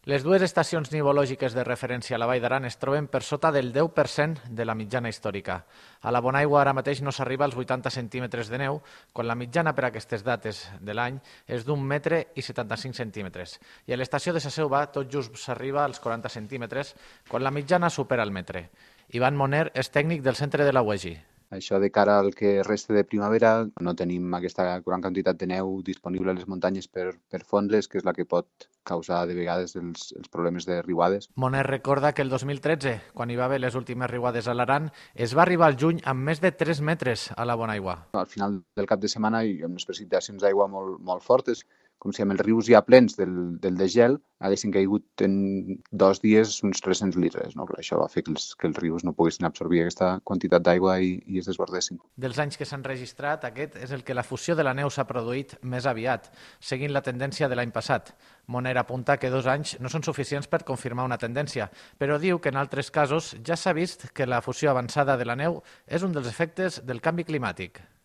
Les dues estacions nivològiques de referència a la Vall d'Aran es troben per sota del 10% de la mitjana històrica. A la Bonaigua ara mateix no s'arriba als 80 centímetres de neu, quan la mitjana per a aquestes dates de l'any és d'un metre i 75 centímetres. I a l'estació de sa Selva tot just s'arriba als 40 centímetres, quan la mitjana supera el metre. Ivan Moner és tècnic del centre de la UEGI. Això de cara al que resta de primavera, no tenim aquesta gran quantitat de neu disponible a les muntanyes per fondre-les, que és la que pot causar de vegades els problemes de riuades. Moner recorda que el 2013, quan hi va haver les últimes riuades a l'Aran, es va arribar al juny amb més de 3 metres a la Bonaigua. Al final del cap de setmana hi ha unes precipitacions d'aigua molt fortes, com si amb els rius ja plens del degel haguessin caigut en 2 dies uns 300 litres. No? Això va fer que els rius no poguessin absorbir aquesta quantitat d'aigua i es desbordessin. Dels anys que s'han registrat, aquest és el que la fusió de la neu s'ha produït més aviat, seguint la tendència de l'any passat. Moner apunta que 2 anys no són suficients per confirmar una tendència, però diu que en altres casos ja s'ha vist que la fusió avançada de la neu és un dels efectes del canvi climàtic.